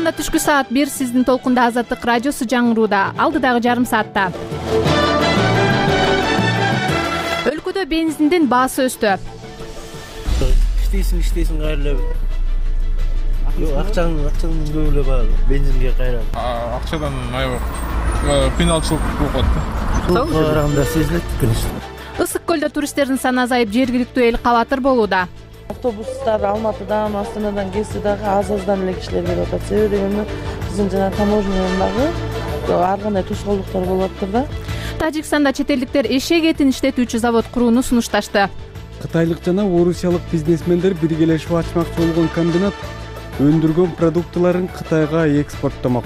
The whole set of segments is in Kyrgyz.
Казакстанда түшкү саат 1 сиздин толкунда Азаттык радиосу жаңырууда. Алдыдагы жарым саатта өлкөдө бензиндин баасы өстү. Иштейсиң кайра эле акчаң көп эле баары бензинге кайра. Акчадан аябай кыйналчылык болуп калат. Сулукка караганда сезилет, конечно. Ысык көлдө туристтердин саны азайып, жергиликтүү эл кабатыр болууда. Автобустар Алматыдан, Астанадан келсе дагы аз-аздан эле кишилер келип атат. Себеби дегенде биздин жана таможнядан дагы ар кандай тосголуктар болуп атат да. Тажикстанда чет элдиктер эшек этин иштетүүчү завод курууну сунушташты. Кытайлык жана орусиялык бизнесмендер биргелешип ачмакчы болгон комбинат өндүргөн продуктыларын Кытайга экспорттомок.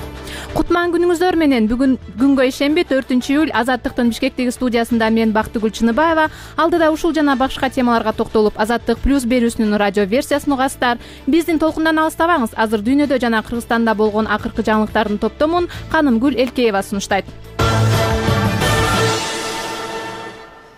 Кутман күнүңүздөр менен. Бүгүн күнгө ишенби 4-июль Азаттыктын Бишкектеги студиясында мен Бактыгүл Чыныбаева. Алдыда ушул жана башка темаларга токтолуп, Азаттык плюс берүүсүнүн радио версиясын угасыздар. Биздин толкундан алыстабаңыз. Азыр дүйнөдө жана Кыргызстанда болгон акыркы жаңылыктардын топтомун Канымгүл Элкеева сунуштайт.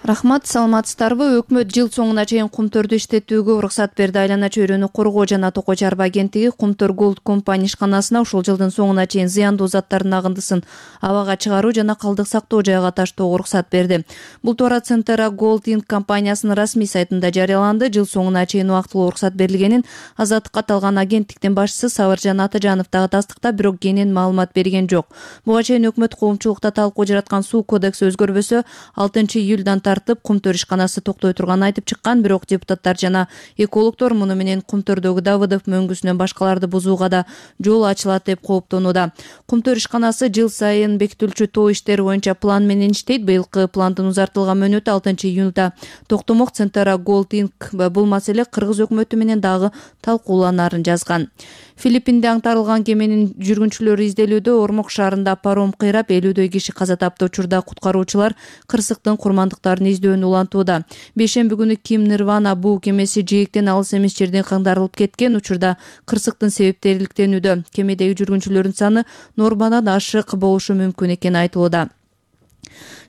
Рахмат, саламатсыздарбы? Өкмөт жыл соңуна чейин кумтөрдү иштетүүгө уруксат берди. Айлана чөйрөнү коргоо жана токой чарба агенттиги Кумтөр Голд компания ишканасына ушул жылдын соңуна чейин зыяндуу заттардын агындысын абага чыгаруу жана калдык сактоо жайга таштоого уруксат берди. Бул тууралуу Центра Голд Инк компаниясынын расмий сайтында жарыяланды. Жыл соңуна чейин убактылуу уруксат берилгенин Азаттыкка аталган агенттиктин башчысы Сабыржан Атажанов дагы тастыктап, бирок кенен маалымат берген жок. Буга чейин өкмөт коомчулукта талкуу жараткан суу кодекси өзгөрбөсө 6-июлдан Кумтөр ишканасы токтой турганын айтып чыккан, бирок депутаттар жана экологдор муну менен Кумтөрдөгү Давыдов мөңгүсүнөн башкаларды бузууга да жол ачылат деп кооптонууда. Кумтөр ишканасы жыл сайын бекитилчү тоо иштери боюнча план менен иштейт. Быйылкы пландын узартылган мөөнөтү 6-июнда токтомок. Центра Голд Инк бул маселе кыргыз өкмөтү менен дагы талкууланарын жазган. Филиппинде аңтарылган кеменин жүргүнчүлөрү изделүүдө. Ормок шаарында паром кыйрап 50дөй киши каза тапты. Учурда куткаруучулар кырсыктын курмандыктарын издөөнү улантууда. Бейшемби күнү Ким Нирвана буу кемеси жээктен алыс эмес жерден каңдарылып кеткен. Учурда кырсыктын себептери иликтенүүдө. Кемедеги жүргүнчүлөрдүн саны нормадан ашык болушу мүмкүн экени айтылууда.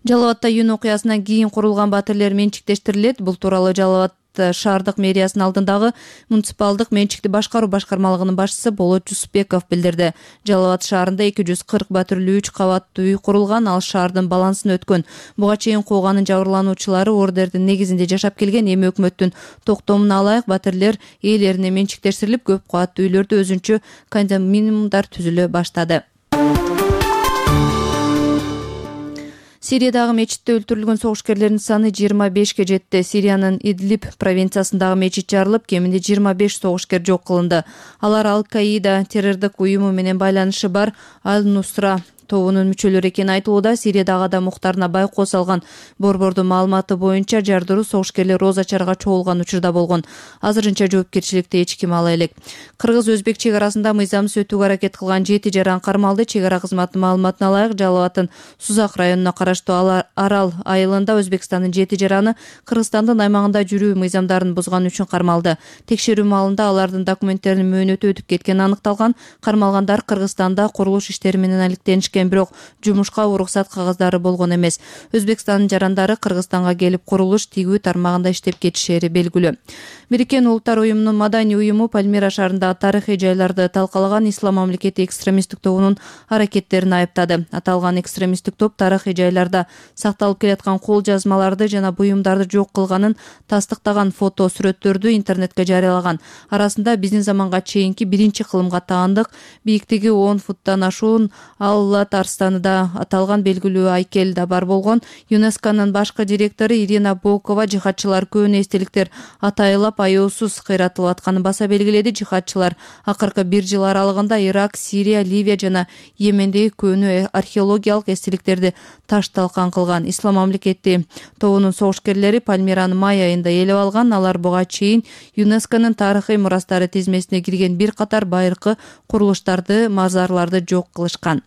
Жалал Абадта июнь окуясынан кийин курулган батирлер менчиктештирилет. Бул тууралуу Жалал Абад шаардык мэриясынын алдындагы муниципалдык менчикти башкаруу башкармалыгынын башчысы Болот Жусупбеков билдирди. Жалал Абад шаарында 240 батирлүү 3 кабаттуу үй курулган, ал шаардын балансына өткөн. Буга чейин кууганын жабырлануучулары ордердин негизинде жашап келген. Эми өкмөттүн токтомуна алайык батирлер ээлерине менчиктештирилип, көп кабаттуу үйлөрдө өзүнчө кондоминиумдар түзүлө баштады. Сириядагы мечитте өлтүрүлгөн согушкерлердин саны 25ке жетти. Сириянын Идлиб провинциясындагы мечит жарылып, кеминде 25 согушкер жок кылынды. Алар Ал-Каида террордук уюму менен байланышы бар Аль-Нусра тобунун мүчөлөрү экени айтылууда. Сириядагы адам укуктарына байкоо салган борбордун маалыматы боюнча жардыруу согушкерлер Роза чарга чогулган учурда болгон. Азырынча жоопкерчиликти эч ким ала элек. Кыргыз-өзбек чек арасында мыйзамсыз өтүүгө аракет кылган 7 жаран кармалды. Чек ара кызматынын маалыматына ылайык, Жалал Абадтын Сузак районуна караштуу Арал айылында Өзбекстандын 7 жараны Кыргызстандын аймагында жүрүү мыйзамдарын бузган үчүн кармалды. Текшерүү маалында алардын документтеринин мөөнөтү өтүп кеткени аныкталган. Кармалгандар Кыргызстанда курулуш иштери менен алектенишкен, бирок жумушка уруксат кагаздары болгон эмес. Өзбекстандын жарандары Кыргызстанга келип курулуш тигүү тармагында иштеп кетишери белгилүү. Бириккен Улуттар уюмунун маданий уюму Пальмира шаарында тарыхый жайларды талкалаган Ислам мамлекети экстремисттик тобунун аракеттерин айыптады. Аталган экстремисттик топ тарыхый жайларда сакталып келаткан кол жазмаларды жана буюмдарды жок кылганын тастыктаган фото сүрөттөрдү интернетке жарыялаган. Арасында биздин заманга чейинки биринчи кылымга таандык, бийиктиги 10 футтан ашуун Аллат Арстаныда аталган белгилүү айкел да бар болгон. ЮНЕСКОнун башкы директору Ирина Бокова жихадчылар көөнү эстеликтер атайылап аяосуз кыйратылып атканын баса белгиледи. Жихадчылар акыркы 1 жыл аралыгында Ирак, Сирия, Ливия жана Йемендеги көөнү археологиялык эстеликтерди таш талкан кылган. Ислам мамлекети тобунун согушкерлери Пальмираны май айында ээлеп алган. Алар буга чейин ЮНЕСКОнун тарыхый мурастары тизмесине кирген бир катар байыркы курулуштарды, мазарларды жок кылышкан.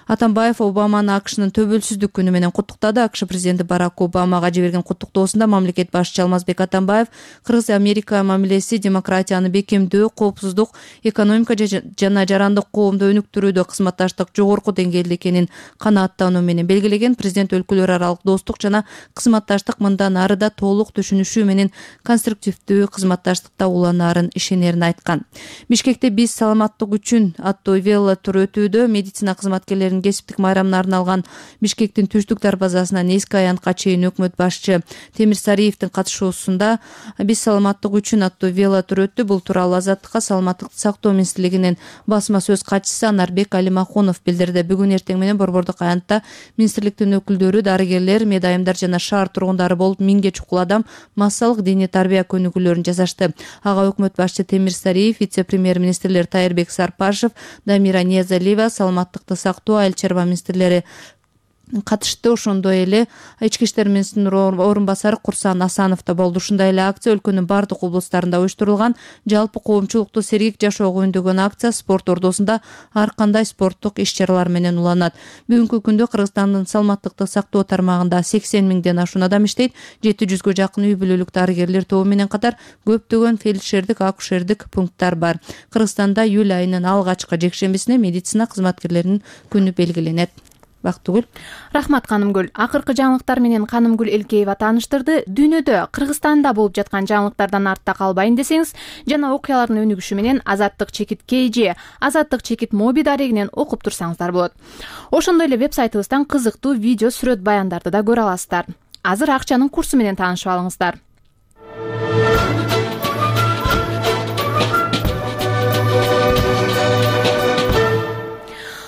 Атамбаев Обаманы АКШнын төбөлсүздүк күнү менен куттуктады. АКШ президенти Барак Обамага жиберген куттуктоосунда мамлекет башчысы Алмазбек Атамбаев Кыргыз-Америка мамилеси демократияны бекемдөө, коопсуздук, экономика жана жарандык коомду өнүктүрүүдө кызматташтык жогорку деңгээлде экенин канааттануу менен белгилеген. Президент өлкөлөр аралык достук жана кызматташтык мындан ары да толук түшүнүшүү менен конструктивдүү кызматташтыкта уланаарын ишенерин айткан. Бишкекте биз саламаттык үчүн аттуу велотур өтүүдө. Медицина кызматкерлеринин кесиптик майрамына арналган Бишкектин түштүк дарбазасынан эски аянтка чейин өкмөт башчы Темир Сариевдин катышуусунда биз саламаттык үчүн аттуу велотур өттү. Бул тууралуу Азаттыкка саламаттыкты сактоо министрлигинин басма сөз катчысы Анарбек Алимахунов билдирди. Бүгүн эртең менен борбордук аянтта министрликтин өкүлдөрү, дарыгерлер, медайымдар жана шаар тургундары болуп 1000ге чукул адам массалык диний тарбия көнүгүүлөрүн жасашты. Ага өкмөт башчы Темир Сариев, вице-премьер-министрлер Тайырбек Сарпашев, Дамира Ниязалиева, саламаттыкты сактоо, айыл чарба министрлери катышты. Ошондой эле ички иштер министринин орун басары Курсан Асанов да болду. Ушундай эле акция өлкөнүн бардык облустарында уюштурулган. Жалпы коомчулукту сергек жашоого үндөгөн акция спорт ордосунда ар кандай спорттук иш-чаралар менен уланат. Бүгүнкү күндө Кыргызстандын саламаттыкты сактоо тармагында 80 миңден ашуун адам иштейт. 700гө жакын үй бүлөлүк дарыгерлер тобу менен катар көптөгөн фельдшердик, акушердик пункттар бар. Кыргызстанда июль айынын алгачкы жекшембисине медицина кызматкерлеринин күнү белгиленет. Бактыгүл. Рахмат Канымгүл. Акыркы жаңылыктар менен Канымгүл Элкеева тааныштырды. Дүйнөдө, Кыргызстанда болуп жаткан жаңылыктардан артта калбайын десеңиз жана окуялардын өнүгүшү менен Азаттык чекит KG, Азаттык чекит моби дарегинен окуп турсаңыздар болот. Ошондой эле веб-сайтыбыздан кызыктуу видео, сүрөт, баяндарды да көрө аласыздар. Азыр акчанын курсу менен таанышып алыңыздар.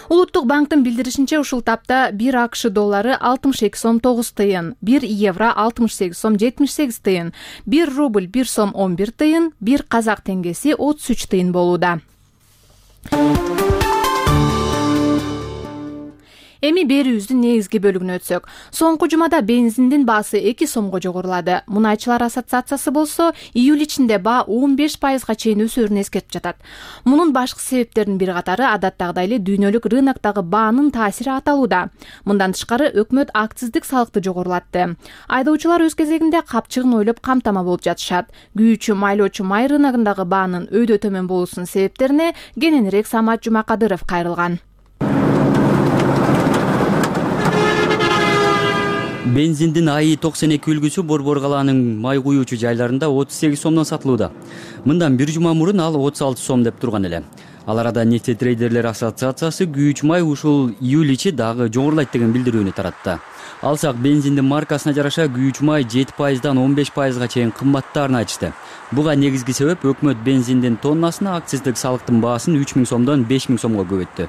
Улуттук банктын билдиришинче ушул тапта 1 АКШ доллары 62 сом 9 тыйын, 1 евро 68 сом 78 тыйын, 1 рубль 1 сом 11 тыйын, 1 казак теңгеси 33 тыйын болууда. Эми берүүбүздүн негизги бөлүгүнө өтсөк. Соңку жумада бензиндин баасы 2 сомго жогорулады. Мунайчылар ассоциациясы болсо, июль ичинде баа 15%га чейин өсөрүн эскертип жатат. Мунун башкы себептеринин бир катары адаттагыдай эле дүйнөлүк рыноктогу баанын таасири аталууда. Мындан тышкары өкмөт акциздик салыкты жогорулатты. Айдоочулар өз кезегинде капчыгын ойлоп камтама болуп жатышат. Күйүүчү, майлоочу май рыногундагы баанын өйдө төмөн болуусунун себептерине кененирээк Самат Жумакадыров кайрылган. Бензиндин АИ 92 үлгүсү Борбор калаанын май куюучу жайларында 38 сомдон сатылууда. Мындан бир жума мурун ал 36 сом деп турган эле. Ал арада нефтетрейдерлер ассоциациясы күйүүчү май ушул июль ичи дагы жогорулайт деген билдирүүнү таратты. Алсак бензиндин маркасына жараша күйүүчү май 7%дан 15%га чейин кымбаттаарын айтышты. Буга негизги себеп өкмөт бензиндин тоннасына акциздик салыктын баасын 3000 сомдон 5000 сомго көбөйттү.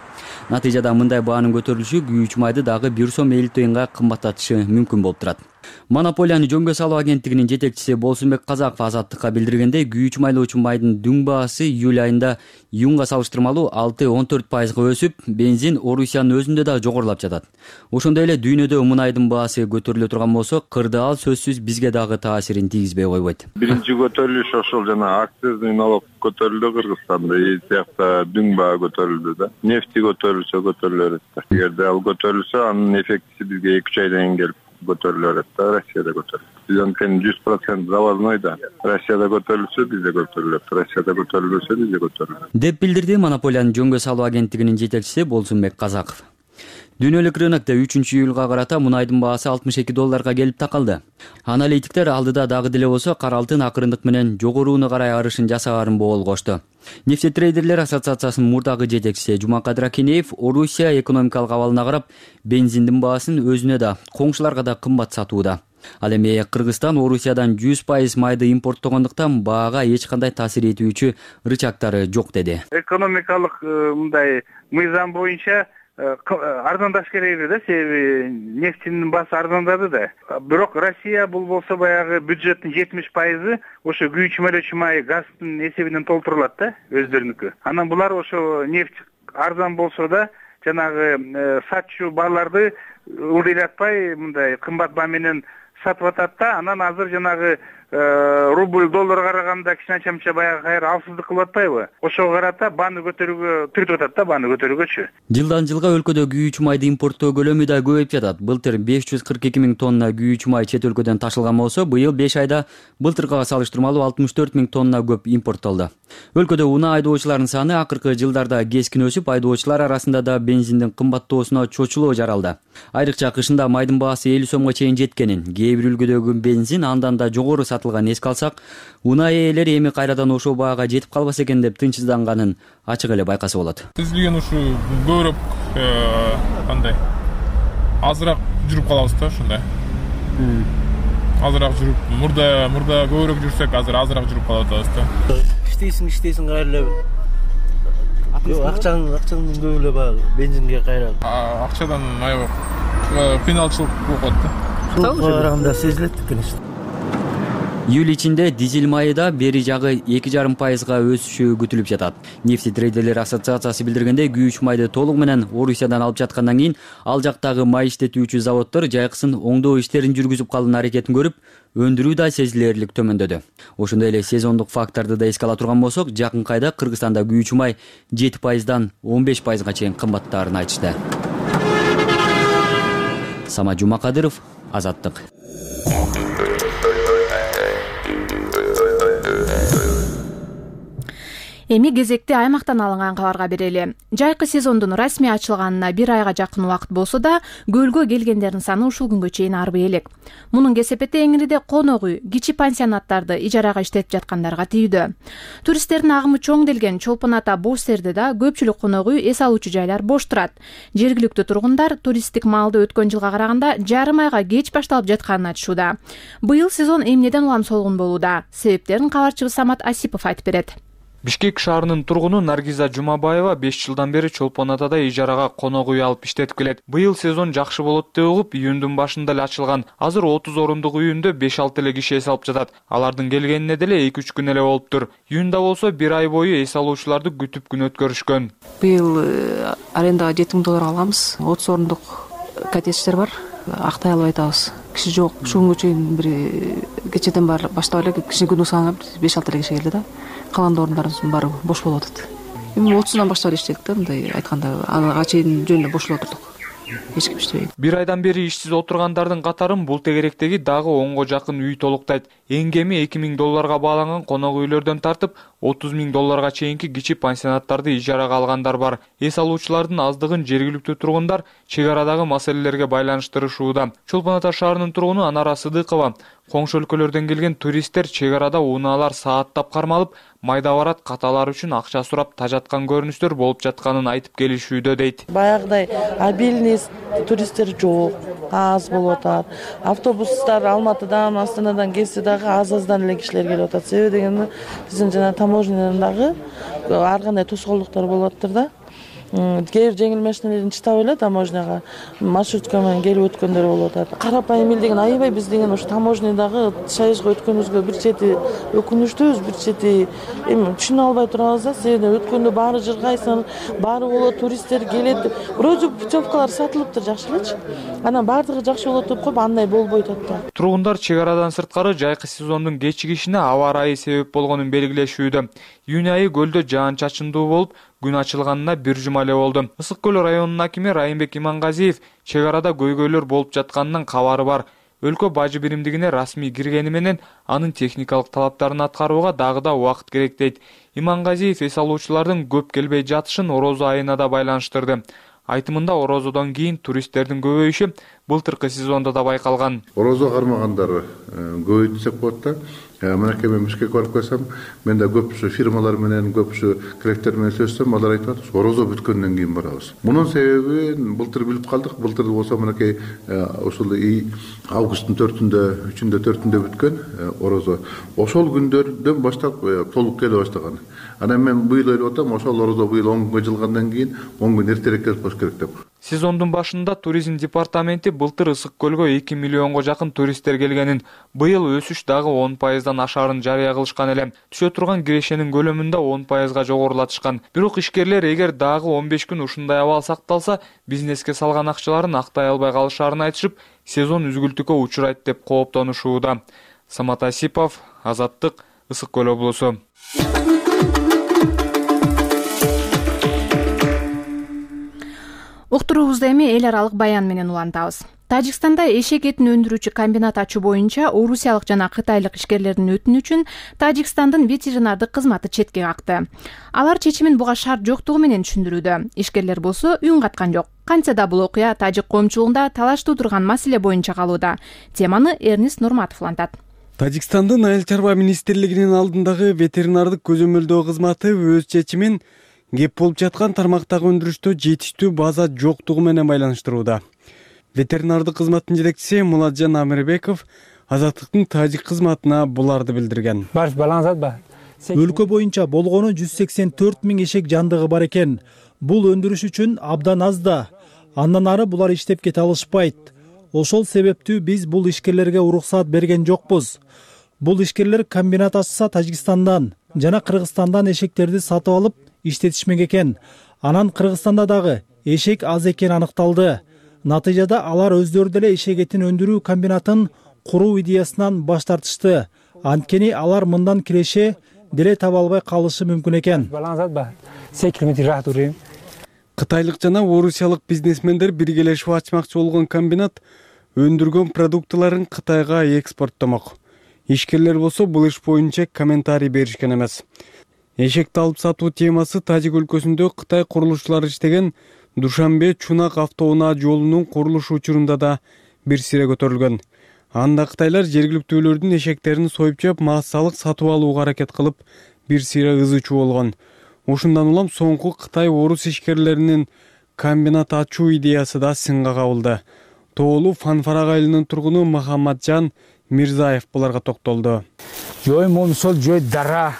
Натыйжада мындай баанын көтөрүлүшү күйүүчү майды дагы 1 сом 50 тыйынга кымбаттатышы мүмкүн болуп турат. Монополияны жөнгө салуу агенттигинин жетекчиси Болсунбек Казаков Азаттыкка билдиргендей, күйүүчү майлоочу майдын дүң баасы июль айында июнга салыштырмалуу 6-14%га өсүп, бензин Орусиянын өзүндө да жогорулап жатат. Ошондой эле дүйнөдө мунайдын баасы көтөрүлө турган болсо, кырды ал сөзсүз бизге дагы таасирин тийгизбей койбойт. Биринчи көтөрүлүш ошол жана акциздик налог көтөрүлдү Кыргызстанда, сыяктуу дүң баа көтөрүлдү да. Нефти көтөрүлсө көтөрүлө берет. Эгерде ал көтөрүлсө, анын эффектиси бизге 2-3 айдан кийин келип көтөрүлө берет да. Россияда көтөрүлөт. Биз анткени 100% завозной да. Россияда көтөрүлсө бизде көтөрүлөт, Россияда көтөрүлбөсө бизде көтөрүлөт. Деп билдирди монополияны жөнгө салуу агенттигинин жетекчиси Болсунбек Казаков. Дүйнөлүк рынокто 3-июлга карата мунайдын баасы 62 долларга келип такалды. Аналитиктер алдыда дагы деле болсо кара алтын акырындык менен жогорууну карай арышын жасаарын боолгошту. Нефтетрейдерлер ассоциациясынын мурдагы жетекчиси Жумакадыр Акинеев Орусия экономикалык абалына карап бензиндин баасын өзүнө да, коңшуларга да кымбат сатууда. Ал эми Кыргызстан Орусиядан 100% майды импорттогондуктан баага эч кандай таасир этүүчү рычагтары жок деди. Экономикалык мындай мыйзам боюнча арзандаш керек да, себеби нефтинин баасы арзандады да. Бирок Россия бул болсо баягы бюджеттин 70% ошо күйүүчү майлоочу май газдын эсебинен толтурулат да, өздөрүнүкү. Анан булар ошо нефть арзан болсо да, жанагы сатчу бааларды ылдыйлатпай мындай кымбат баа менен сатып атат да. Анан азыр жанагы рубль долларга караганда кичине анча баягы кайра алсыздык кылып атпайбы? Ошого карата бааны көтөрүүгө түртүп атат да, бааны көтөрүүгөчү. Жылдан жылга өлкөдө күйүүчү майды импорттоо көлөмү да көбөйүп жатат. Былтыр 542 000 тонна күйүүчү май чет өлкөдөн ташылган болсо, быйыл 5 айда былтыркыга салыштырмалуу 64 000 тонна көп импорттолду. Өлкөдө унаа айдоочулардын саны акыркы жылдарда кескин өсүп, айдоочулар арасында да бензиндин кымбаттоосуна чочулоо жаралды. Айрыкча кышында майдын баасы 50 сомго чейин жеткенин, кээ бир үлгүдөгү бензин андан да жогору сатылганын эске алсак, унаа ээлери эми кайрадан ошол баага жетип калбаса экен деп тынчсызданганын ачык эле байкаса болот. Биз деген ушу көбүрөөк кандай азыраак жүрүп калабыз да, ушундай. Азыраак жүрүп, мурда көбүрөөк жүрсөк, азыр азыраак жүрүп калып атабыз да. Иштейсиң кайра эле. Акчаңдын көп эле баягы бензинге кайра. Акчадан аябай кыйналчылык болуп калат да. Сулукка караганда сезилет, конечно. Июль ичинде дизель майы да бери жагы 2,5% өсүшү күтүлүп жатат. Нефти трейдерлер ассоциациясы билдиргендей, күйүүчү майды толугу менен Орусиядан алып жаткандан кийин ал жактагы май иштетүүчү заводдор жайкысын оңдоо иштерин жүргүзүп калуунун аракетин көрүп, өндүрүү да сезилерлик төмөндөдү. Ошондой эле сезондук факторду да эске ала турган болсок, жакынкы айда Кыргызстанда күйүүчү май 7%дан 15%га чейин кымбаттаарын айтышты. Самат Жумакадыров, Азаттык. Эми кезекти аймактан алынган кабарга берели. Жайкы сезондун расмий ачылганына 1 айга жакын убакыт болсо да, көлгө келгендердин саны ушул күнгө чейин арбый элек. Мунун кесепети Эңириде конок үй, кичи пансионаттарды ижарага иштетип жаткандарга тийүүдө. Туристтердин агымы чоңделген Чолпон Ата Бош Сердеда көпчүлүк конок үй, эс алуучу жайлар бош турат. Жергиликтүү тургундар туристтик маалды өткөн жылга караганда жарым айга кеч башталып жатканын айтышууда. Быйыл сезон эмнеден улам солгун болууда? Себептерин кабарчыбыз Самат Асипов айтып берет. Бишкек шаарынын тургуну Наргиза Жумабаева 5 жылдан бери Чолпон Атада ижарага конок үй алып иштетип келет. Быйыл сезон жакшы болот деп угуп, июндун башында эле ачылган. Азыр 30 орундук үйүндө 5-6 эле киши эс алып жатат. Алардын келгенине деле 2-3 күн эле болуптур. Июнда болсо 1 ай бою эс алуучуларды күтүп күн өткөрүшкөн. Быйыл арендага 7 000 доллар алганбыз. 30 орундук коттедждер бар. Актай албай атабыз. Киши жок. Ушул күнгө чейин бир кечеден баштап эле киши күнү санап 5-6 эле киши келди да. Калган орундарыбыздын баары бош болуп атат. Эми 30-дан баштап иштедик да, мындай айтканда, ага чейин жөн эле бош болуп отурдук. Эч ким иштебейт. 1 айдан бери ишсиз отургандардын катарын бул тегеректеги дагы 10го жакын үй толуктайт. Эң кеми 2 000 долларга бааланган конок үйлөрдөн тартып 30 000 долларга чейинки кичи пансионаттарды ижарага алгандар бар. Эс алуучулардын аздыгын жергиликтүү тургундар чек арадагы маселелерге байланыштырышууда. Чолпон Ата шаарынын тургуну Анара Сыдыкова коңшу өлкөлөрдөн келген туристтер чек арада унаалар сааттап кармалып, майда барат каталар үчүн акча сурап тажаткан көрүнүштөр болуп жатканын айтып келишүүдө дейт. Баягыдай обильный туристтер жок, аз болуп атат. Автобустар Алматыдан, Астанадан келсе дагы аз-аздан эле кишилер келип атат. Себеби дегенде биздин жана таможнядан дагы ар кандай тоскоолдуктар болуп атыптыр да. Кээ бир жеңил машиналердин чыдап эле таможняга маршрутка менен келип өткөндөр болуп атат. Карапайым эл деген аябай биз деген ушу таможнядагы шайышка өткөнүбүзгө бир чети өкүнүчтүүбүз, бир чети эми түшүнө албай турабыз да. Себеби өткөндө баары жыргайсын, баары болот, туристтер келет. Вроде путевкалар сатылыптыр жакшы элечи. Анан баардыгы жакшы болот деп коюп, андай болбойт атты. Тургундар чек арадан сырткары жайкы сезондун кечигишине аба ырайы себеп болгонун белгилешүүдө. Июнь айы көлдө жаан-чачындуу болуп, күн ачылганына 1 жума эле болду. Ысык көл районунун акими Райымбек Имангазиев чек арада көйгөйлөр болуп жатканынан кабары бар. Өлкө бажы биримдигине расмий киргени менен анын техникалык талаптарын аткарууга дагы да убакыт керек дейт. Имангазиев эс алуучулардын көп келбей жатышын орозо айына да байланыштырды. Айтымында орозодон кийин туристтердин көбөйүшү былтыркы сезондо да байкалган. Орозо кармагандар көбөйдү десек болот да. Мынакей мен Бишкекке барып келсем, мен да көп фирмалар менен, көп кредиттер менен сөзсөм, алар айтып атат, орозо бүткөндөн кийин барабыз. Мунун себеби былтыр билип калдык. Былтыр болсо мынакей ушул августтун 4-үндө, 3-үндө, 4-үндө бүткөн орозо. Ошол күндөрдөн баштап толук келе баштаган. Анан мен быйыл ойлоп атам, ошол орозо быйыл 10 күнгө жылгандан кийин 10 күн эртерээк келип калыш керек деп. Сезондун башында туризм департаменти былтыр Ысык көлгө 2 миллионго жакын туристтер келгенин, быйыл өсүш дагы 10%дан ашаарын жарыя кылышкан эле. Түшө турган кирешенин көлөмүндө 10%га жогорулатышкан. Бирок ишкерлер эгер дагы 15 күн ушундай абал сакталса, бизнеске салган акчаларын актай албай калышаарын айтышып, сезон үзгүлтүккө учурайт деп кооптонушууда. Самат Асипов, Азаттык, Ысык көл облусу. Уктуруубузду эми эл аралык баян менен улантабыз. Тажикстанда эшек этин өндүрүүчү комбинат ачуу боюнча орусиялык жана кытайлык ишкерлердин өтүнүчүн Тажикстандын ветеринардык кызматы четке какты. Алар чечимин буга шарт жоктугу менен түшүндүрүүдө. Ишкерлер болсо үн каткан жок. Кантса да бул окуя тажик коомчулугунда талаш туудурган маселе боюнча калууда. Теманы Эрнис Нурматов улантат. Тажикстандын Айыл чарба министрлигинин алдындагы ветеринардык көзөмөлдөө кызматы өз чечимин кеп болуп жаткан тармактагы өндүрүштө жетиштүү база жоктугу менен байланыштырууда. Ветеринардык кызматтын жетекчиси Муладжан Амирбеков Азаттыктын тажик кызматына буларды билдирген. Өлкө боюнча болгону 184 000 эшек жандыгы бар экен. Бул өндүрүш үчүн абдан аз да. Андан ары булар иштеп кете алышпайт. Ошол себептүү биз бул ишкерлерге уруксаат берген жокпуз. Бул ишкерлер комбинат ачса Тажикстандан жана Кыргызстандан эшектерди сатып алып иштетишмек экен. Анан Кыргызстанда дагы эшек аз экени аныкталды. Натыйжада алар өздөрү деле эшек этин өндүрүү комбинатын куруу идеясынан баш тартышты. Анткени алар мындан киреше деле таба албай калышы мүмкүн экен. Кытайлык жана орусиялык бизнесмендер биргелешип ачмакчы болгон комбинат өндүргөн продуктыларын Кытайга экспорттомок. Ишкерлер болсо бул иш боюнча комментарий беришкен эмес. Эшекти алып сатуу темасы Тажик өлкөсүндө Кытай курулушчулары иштеген Душанбе Чунак автоунаа жолунун курулушу учурунда да бир сире көтөрүлгөн. Анда кытайлар жергиликтүүлөрдүн эшектерин союп жеп массалык сатып алууга аракет кылып, бир сире ызычуу болгон. Ушундан улам соңку Кытай орус ишкерлеринин комбинат ачуу идеясы да сынга кабылды. Тоолу Фанфарак айылынын тургуну Махамаджан Мирзаев буларга токтолду. Жой момсол жой дара.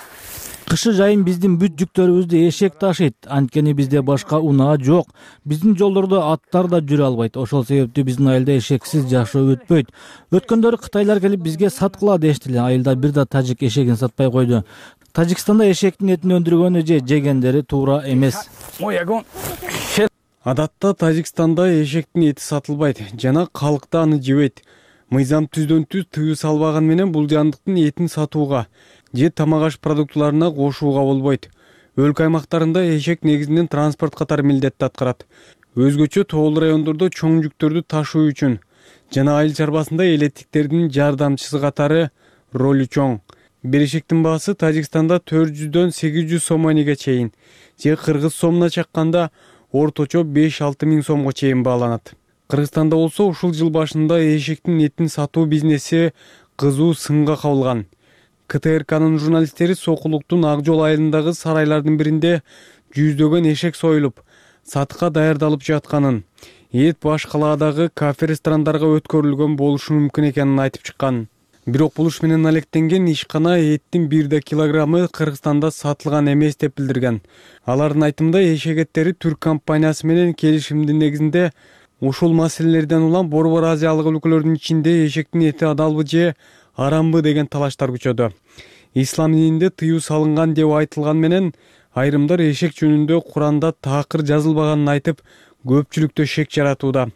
Кышы жайын биздин бүт жүктөрүбүздү эшек ташыйт. Анткени бизде башка унаа жок. Биздин жолдордо аттар да жүрө албайт. Ошол себептүү биздин айылда эшексиз жашоо өтпөйт. Өткөндөрү кытайлар келип бизге саткыла дешти эле. Айылда бир да тажик эшегин сатпай койду. Тажикстанда эшектин этин өндүргөнү же жегендери туура эмес. Адатта Тажикстанда эшектин эти сатылбайт жана калк да аны жебейт. Мыйзам түздөн түз тыюу салбаган менен бул жандыктын этин сатууга же тамак аш продуктларына кошууга болбойт. Өлкө аймактарында эшек негизинен транспорт катары милдетти аткарат. Өзгөчө тоолуу райондордо чоң жүктөрдү ташуу үчүн жана айыл чарбасында элеттиктердин жардамчысы катары ролу чоң. Бир эшектин баасы Тажикстанда 400дөн 800 сомонеге чейин, же кыргыз сомуна чакканда орточо 5-6 миң сомго чейин бааланат. Кыргызстанда болсо ушул жыл башында эшектин этин сатуу бизнеси кызуу сынга кабылган. КТРКнын журналисттери Сокулуктун Ак жол айылындагы сарайлардын биринде жүздөгөн эшек союлуп, сатыкка даярдалып жатканын, эт баш калаадагы кафе-ресторандарга өткөрүлгөн болушу мүмкүн экенин айтып чыккан. Бирок бул иш менен алектенген ишкана эттин 1 килограммы Кыргызстанда сатылган эмес деп билдирген. Алардын айтымында эшек эттери түрк компаниясы менен келишимдин негизинде ушул маселелерден улам Борбор Азиялык өлкөлөрдүн ичинде эшектин эти адалбы же арамбы деген талаштар күчөдү. Ислам дининде тыюу салынган деп айтылган менен айрымдар эшек жөнүндө Куранда такыр жазылбаганын айтып, көпчүлүктө шек жаратууда.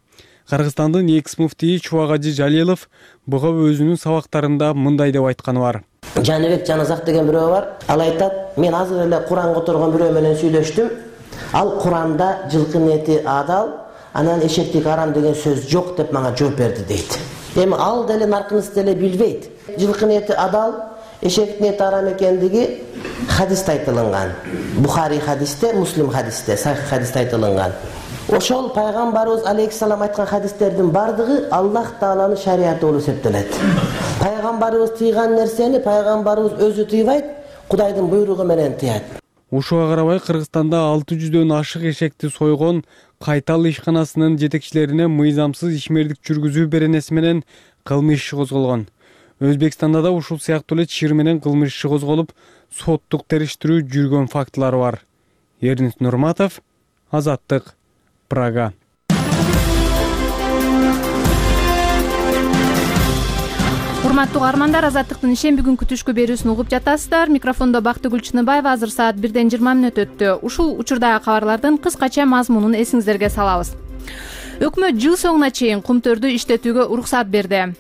Кыргызстандын экс-муфтийи Чубагажы Жалилов буга өзүнүн сабактарында мындай деп айтканы бар. Жаныбек Жаназак деген бирөө бар. Ал айтат: "Мен азыр эле Куран которгон бирөө менен сүйлөштүм. Ал Куранда жылкынын эти адал, анан эшектик арам деген сөз жок" деп мага жооп берди дейт. Эми ал деле наркыныс деле билбейт. Жылкынын эти адал, эшектин эти арам экендиги хадисте айтылган. Бухари хадисте, Муслим хадисте, Сахих хадисте айтылган. Ошол пайгамбарыбыз алейхиссалам айткан хадистердин бардыгы Аллах Тааланын шариаты болуп эсептелет. Пайгамбарыбыз тыйган нерсени пайгамбарыбыз өзү тыйбайт, Кудайдын буйругу менен тыят. Ушуга карабай Кыргызстанда 600дөн ашык эшекти сойгон Кайтал ишканасынын жетекчилерине мыйзамсыз ишмердик жүргүзүү беренеси менен кылмыш иши козголгон. Өзбекстанда да ушул сыяктуу эле чыр менен кылмыш иши козголуп, соттук териштирүү жүргөн фактылар бар. Эрнис Нурматов, Азаттык, Прага. Урматтуу угармандар, Азаттыктын ишемби күнкү түшкү берүүсүн угуп жатасыздар. Микрофондо Бактыгүл Чыныбаева. Азыр саат 1:20 өттү. Ушул учурдагы кабарлардын кыскача мазмунун эсиңиздерге салабыз. Өкмөт жыл соңуна чейин кумтөрдү иштетүүгө уруксат берди.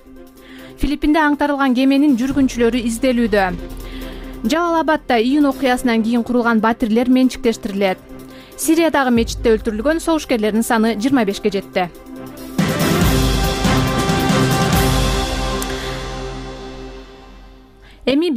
Филиппинде аңтарылган кеменин жүргүнчүлөрү изделүүдө. Жалал Абадда июнь окуясынан кийин курулган батирлер менчиктештирилет. Сириядагы мечитте өлтүрүлгөн согушкерлердин саны 25-ке жетти. Эми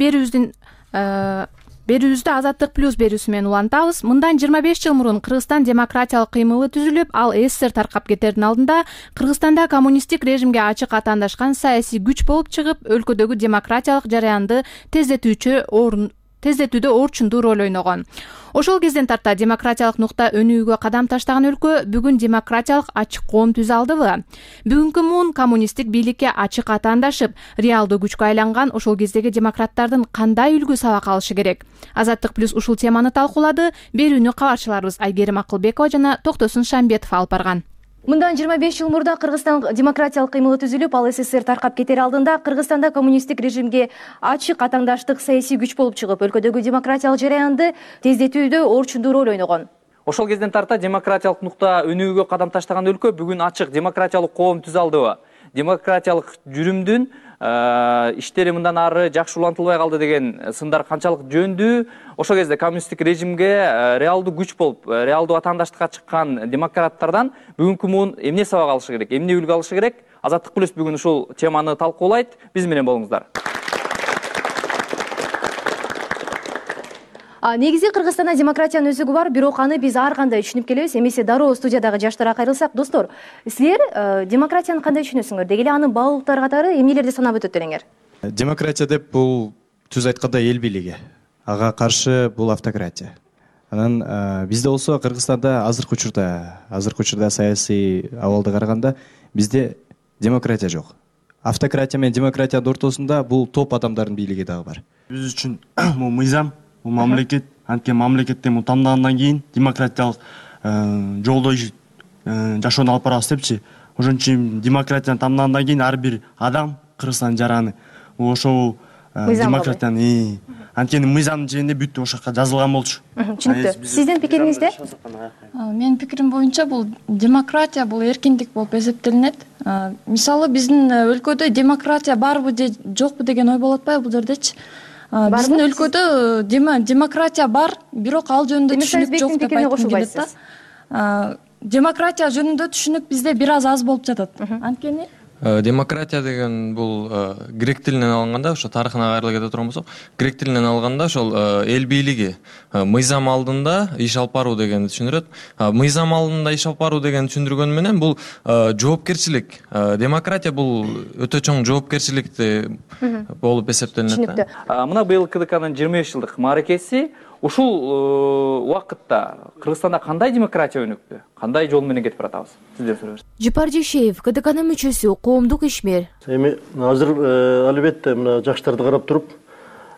берүүбүздү Азаттык плюс берүүсү менен улантабыз. Мындан 25 жыл мурун Кыргызстан демократиялык кыймылы түзүлүп, ал СССР таркап кетердин алдында Кыргызстанда коммунисттик режимге ачык атаандашкан саясий күч болуп чыгып, өлкөдөгү демократиялык жараянды тездетүүдө орчундуу роль ойногон. Ошол кезден тарта демократиялык нукта өнүгүүгө кадам таштаган өлкө бүгүн демократиялык ачык коом түзө алдыбы? Бүгүнкү муун коммунисттик бийликке ачык атаандашып, реалдуу күчкө айланган ошол кездеги демократтардын кандай үлгү сабак алышы керек? Азаттык плюс ушул теманы талкуулады. Берүүнү кабарчыларыбыз Айгерим Акылбекова жана Токтосун Шамбетов алып барган. Мындан 25 жыл мурда Кыргызстан демократиялык кыймылы түзүлүп, ал СССР таркап кетер алдында Кыргызстанда коммунисттик режимге ачык атаандаштык саясий күч болуп чыгып, өлкөдөгү демократиялык жараянды тездетүүдө орчундуу роль ойногон. Ошол кезден тарта демократиялык нукта өнүгүүгө кадам таштаган өлкө бүгүн ачык демократиялык коом түзө алдыбы? Демократиялык жүрүмдүн иштери мындан ары жакшы улантылбай калды деген сындар канчалык жөндүү? Ошол кезде коммунисттик режимге реалдуу күч болуп, реалдуу атаандаштыкка чыккан демократтардан бүгүнкү муун эмне сабак алышы керек, эмне үлгү алышы керек? Азаттык плюс бүгүн ушул теманы талкуулайт. Биз менен болуңуздар. Негизи Кыргызстанда демократиянын өзүгү бар, бирок аны биз ар кандай түшүнүп келебиз. Эмесе дароо студиядагы жаштарга кайрылсак, достор, силер демократияны кандай түшүнөсүңөр? Деги эле анын баалуулуктары катары эмнелерди санап өтөт элеңер? Демократия деп бул түз айткандай эл бийлиги. Ага каршы бул автократия. Анан бизде болсо Кыргызстанда азыркы учурда саясий абалды караганда бизде демократия жок. Автократия менен демократиянын ортосунда бул топ адамдардын бийлиги дагы бар. Биз үчүн бул мыйзам, бул мамлекет, анткени мамлекеттен тандагандан кийин демократиялык жолдо жашоону алып барабыз депчи. Ошон үчүн демократияны тандагандан кийин ар бир адам Кыргызстандын жараны ошол демократияны анткени мыйзамдын жеринде бүт ошол жака жазылган болчу. Түшүнүктүү. Сиздин пикириңизде? Менин пикирим боюнча бул демократия бул эркиндик болуп эсептелинет. Мисалы биздин өлкөдө демократия барбы же жокпу деген ой болуп атпайбы бул жердечи? Биздин өлкөдө демократия бар, бирок ал жөнүндө түшүнүк жок деп айткым келет да. Демократия жөнүндө түшүнүк бизде бир аз болуп жатат. Анткени демократия деген бул грек тилинен алынганда, ошо тарыхына кайрыла кете турган болсок, грек тилинен алганда ошол эл бийлиги мыйзам алдында иш алып баруу дегенди түшүндүрөт. Мыйзам алдында иш алып баруу дегенди түшүндүргөнү менен бул жоопкерчилик. Демократия бул өтө чоң жоопкерчиликти болуп эсептелинет. Мына быйыл КДКнын 25 жылдык мааракеси. Ушул убакытта Кыргызстанда кандай демократия өнүктү? Кандай жол менен кетип баратабыз? Сизден сурайбыз. Жыпар Жешеев, КДКнын мүчөсү, коомдук ишмер. Эми азыр албетте мына жаштарды карап туруп,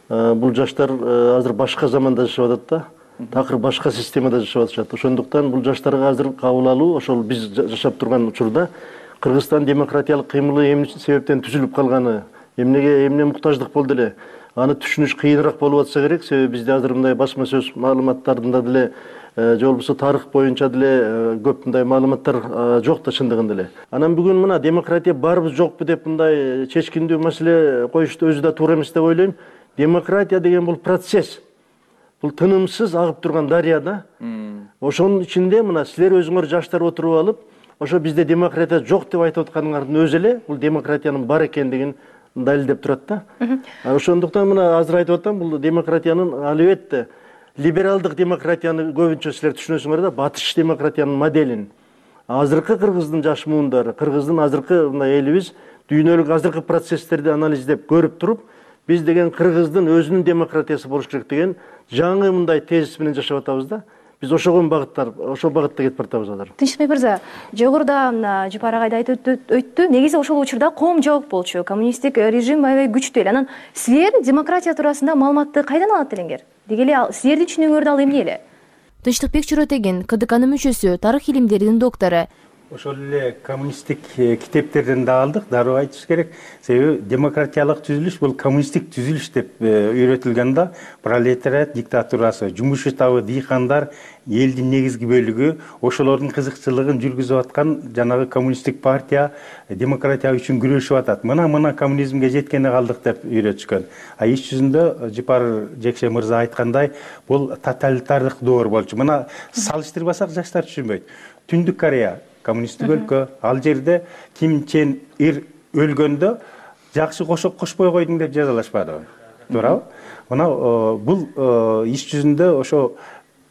бул жаштар азыр башка заманда жашап атат да. Такыр башка системада жашап атышат. Ошондуктан бул жаштарга азыр кабыл алуу, ошол биз жашап турган учурда Кыргызстан демократиялык кыймылы эмне себептен түзүлүп калганы, эмне муктаждык болду эле, аны түшүнүш кыйыныраак болуп атса керек. Себеби бизде азыр мындай басма сөз маалыматтарында деле же болбосо тарых боюнча деле көп мындай маалыматтар жок да чындыгында эле. Анан бүгүн мына демократия барбы жокпу деп мындай чечкиндүү маселе коюшту өзү да туура эмес деп ойлойм. Демократия деген бул процесс. Бул тынымсыз агып турган дарыя да. Ошонун ичинде мына силер өзүңөр жаштар отуруп алып, ошо бизде демократия жок деп айтып атканыңардын өзү эле бул демократиянын бар экендигин далилдеп турат да. Ошондуктан мына азыр айтып атам, бул демократиянын албетте либералдык демократияны көбүнчө силер түшүнөсүңөр да, батыш демократиянын моделин. Азыркы Кыргыздын жаш муундары, Кыргыздын азыркы мындай элибиз дүйнөлүк азыркы процесстерди анализдеп көрүп туруп, биз деген Кыргыздын өзүнүн демократиясы болуш керек деген жаңы мындай тезис менен жашап атабыз да. Биз ошол багытта кетип баратабыз азыр. Тынчбек мырза, жогоруда Жыпар агай да айтып өттү. Негизи ошол учурда коом жабык болчу, коммунисттик режим аябай күчтүү эле. Анан силер демократия туурасында маалыматты кайдан алат элеңер? Деги эле силердин түшүнүгүңөрдү ал эмне эле? Тынчтыкбек Чоротеген, КДКнын мүчөсү, тарых илимдеринин доктору. ошол эле коммунисттик китептерден да алдык, дароо айтыш керек. Себеби демократиялык түзүлүш бул коммунисттик түзүлүш деп үйрөтүлгөн да. Пролетариат диктатурасы, жумуш табы дыйкандар элдин негизги бөлүгү ошолордун кызыкчылыгын жүргүзүп аткан жанагы коммунисттик партия демократия үчүн күрөшүп атат. Мына коммунизмге жеткени калдык деп үйрөтүшкөн. А иш жүзүндө Жапар Жекше мырза айткандай, бул тоталитардык доор болчу. Мына салыштырбасак жаштар түшүнбөйт. Түндүк Корея коммунисттик өлкө, ал жерде Ким Чен Ир өлгөндө жакшы кошпой койдуң деп жазалашпадыбы? Туурабы? Мына бул иш жүзүндө ошо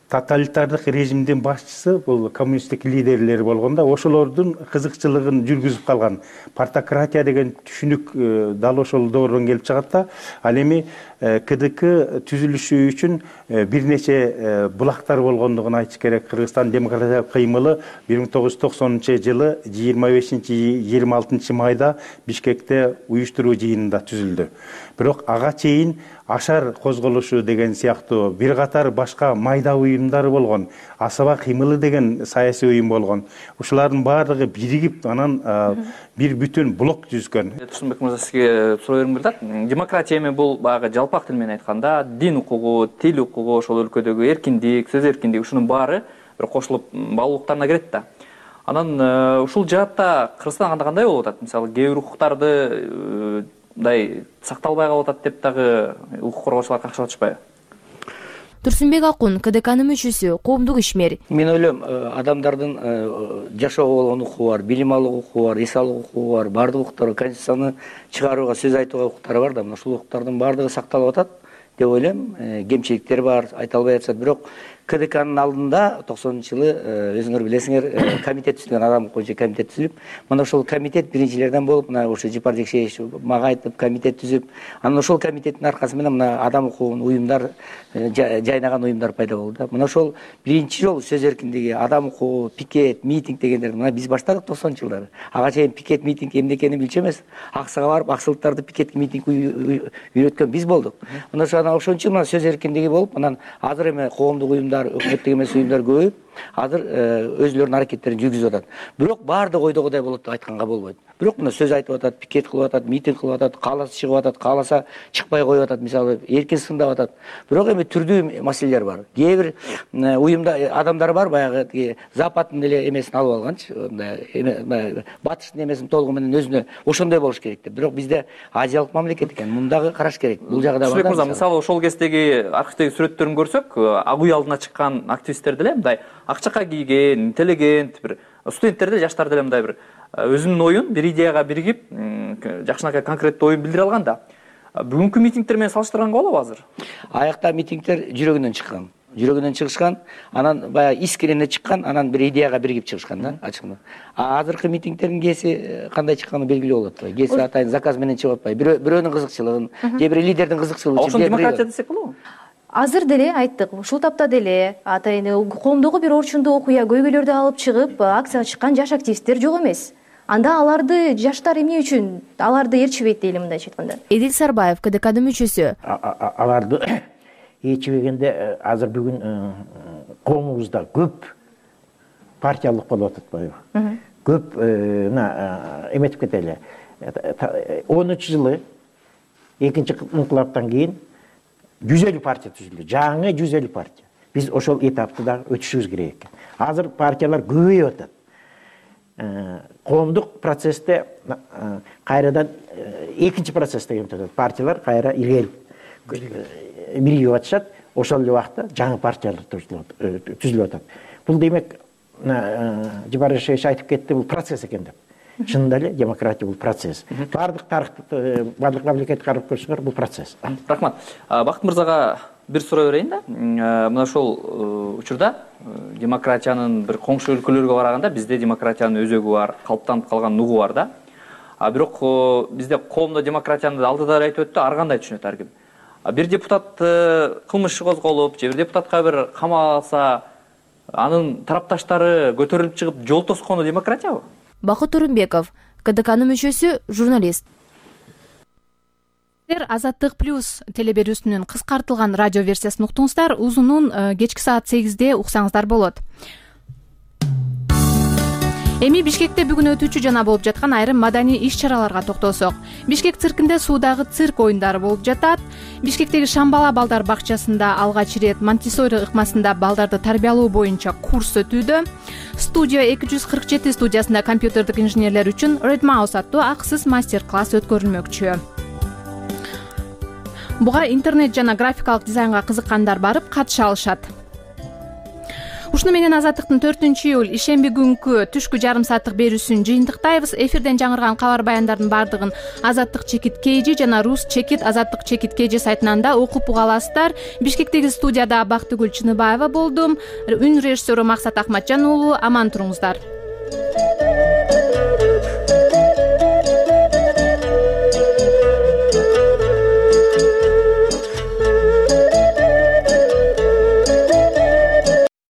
тоталитардык режимдин башчысы бул коммунисттик лидерлер болгондо ошолордун кызыкчылыгын жүргүзүп калган партократия деген түшүнүк дал ошол доордон келип чыгат да. Ал эми КДК түзүлүшү үчүн бир нече булактар болгондугун айтыш керек. Кыргызстан демократиялык кыймылы 1990-жылы 25-26 майда Бишкекте уюштуруу жыйынында түзүлдү. Бирок ага чейин Ашар козголушу деген сыяктуу бир катар башка майда уюмдар болгон. Асаба кыймылы деген саясий уюм болгон. Ушулардын баардыгы биригип, анан бир бүтүн блок түзгөн. Турсунбек мырза, сизге суроо бергим келет. Демократия эми бул баягы жалпак тил менен айтканда, дин укугу, тил укугу, ошол өлкөдөгү эркиндик, сөз эркиндиги, ушунун баары бир кошулуп баалуулуктарына кирет да. Анан ушул жаатта Кыргызстан кандай болуп атат? Мисалы, кээ бир укуктарды мындай сакталбай калып атат деп дагы укук коргоочулар какшап атышпайбы? Турсунбек Акун, КДКнын мүчөсү, коомдук ишмер. Мен ойлойм, адамдардын жашоого болгон укугу бар, билим алуу укугу бар, эс алуу укугу бар, баардык укуктар, конституцияны чыгарууга, сөз айтууга укуктары бар да. Мына ушул укуктардын баардыгы сакталып атат деп ойлойм. Кемчиликтер бар, айта албай атышат, бирок КДКнын алдында 90-жылы өзүңөр билесиңер, комитет түзүлгөн, адам коюнчу комитет түзүлүп, мына ошол комитет биринчилерден болуп, мына ошо Жапар Жекшеевич мага айтып комитет түзүп, анан ошол комитеттин аркасы менен мына адам укугун уюмдар, жайнаган уюмдар пайда болду да. Мына ошол биринчи жолу сөз эркиндиги, адам укугу, пикет, митинг дегендерди мына биз баштадык 90-жылдары. Ага чейин пикет, митинг эмне экенин билчү эмес. Аксага барып, аксылыктарды пикетке, митингге үйрөткөн биз болдук. Мына ошончо мына сөз эркиндиги болуп, анан азыр эми коомдук уюмдар, өкмөттүк эмес уюмдар көбөйүп, азыр өзүлөрүнүн аракеттерин жүргүзүп атат. Бирок баардык ойдогудай болот деп айтканга болбойт. Бирок мына сөз айтып атат, пикет кылып атат, митинг кылып атат, кааласа чыгып атат, кааласа чыкпай коюп атат, мисалы эркин сындап атат. Бирок эми түрдүү маселелер бар. Кээ бир уюмда адамдар бар, баягы Западтын эле эмесин алып алганчы, батыштын эмесин толугу менен өзүнө ошондой болуш керек деп. Бирок бизде азиялык мамлекет экен, мундагы караш керек. Бул жагы да бар да. Мисалы ошол кездеги архивдеги сүрөттөрүн көрсөк, ак үй алдына чыккан активисттер деле мындай ак чака кийген, интеллигент, бир студенттер деле, жаштар деле мындай бир өзүнүн оюн бир идеяга биригип, жакшынакай конкреттүү оюн билдире алган да. Бүгүнкү митингдер менен салыштырганга болобу азыр? Аякта митингдер жүрөгүнөн чыккан. Жүрөгүнөн чыгышкан, анан баягы искренне чыккан, анан бир идеяга биригип чыгышкан да, ачыгында. Азыркы митингдердин кээси кандай чыкканы белгилүү болуп атпайбы? Кээси атайын заказ менен чыгып атпайбы? Бирөөнүн кызыкчылыгын, же бир лидердин кызыкчылыгы үчүн. Ошол демократия десек болобу? Азыр деле айттык, ушул тапта деле атайын коомдогу бир орчундуу окуя, көйгөйлөрдү алып чыгып, акцияга чыккан жаш активисттер жок эмес. Анда аларды жаштар эмне үчүн аларды ээрчибейт дейли мындайча айтканда? Эдил Сарбаев, КДКнын мүчөсү. Аларды ээрчибегенде азыр бүгүн коомубузда көп партиялык болуп атпайбы? Көп эметип кетели. 10-жылы экинчи инкылаптан кийин 150 партия түзүлдү. Жаңы 150 партия. Биз ошол этапты да өтүшүбүз керек экен. Азыр партиялар көбөйүп атат. Коомдук процессте кайрадан экинчи процессте кетет. Партиялар кайра илгери биригип атышат. Ошол эле убакта жаңы партиялар түзүлүп атат. Бул демек Жапар Жекшеевич айтып кетти, бул процесс экен деп. Чынында эле демократия бул процесс. Бардык тарыхты, бардык мамлекетти карап көрсөңөр, бул процесс. Рахмат. Бакыт мырзага бир суроо берейин да. Мына ошол учурда демократиянын бир коңшу өлкөлөргө барганда бизде демократиянын өзөгү бар, калыптанып калган нугу бар да. Бирок бизде коомдо демократияны алдыда айтып өттү, ар кандай түшүнөт ар ким. Бир депутат кылмыш козголуп, же бир депутатка бир камалса, анын тарапташтары көтөрүлүп чыгып жол тоскону демократиябы? Бакыт Турунбеков, КДКнын мүчөсү, журналист. Азаттык плюс телеберүүсүнүн кыскартылган радио версиясын уктуңуздар. Узунун кечки саат 8-де уксаңыздар болот. Эми Бишкекте бүгүн өтүүчү жана болуп жаткан айрым маданий иш-чараларга токтолсок. Бишкек циркинде суудагы цирк оюндары болуп жатат. Бишкектеги Шамбала балдар бакчасында алгач ирет Монтессори ыкмасында балдарды тарбиялоо боюнча курс өтүүдө. Студия 247 студиясында компьютердик инженерлер үчүн Red Mouse аттуу акысыз мастер-класс өткөрүлмөкчү. Буга интернет жана графикалык дизайнга кызыккандар барып катыша алышат. Ушуну менен Азаттыктын 4-июль ишемби күнкү түшкү жарым сааттык берүүсүн жыйынтыктайбыз. Эфирден жаңырган кабар баяндардын бардыгын Азаттык чекит KG жана Рус чекит Азаттык чекит KG сайтынан да окуп уга аласыздар. Бишкектеги студияда Бактыгүл Чыныбаева болдум. Үн режиссеру Максат Ахматжан уулу. Аман туруңуздар.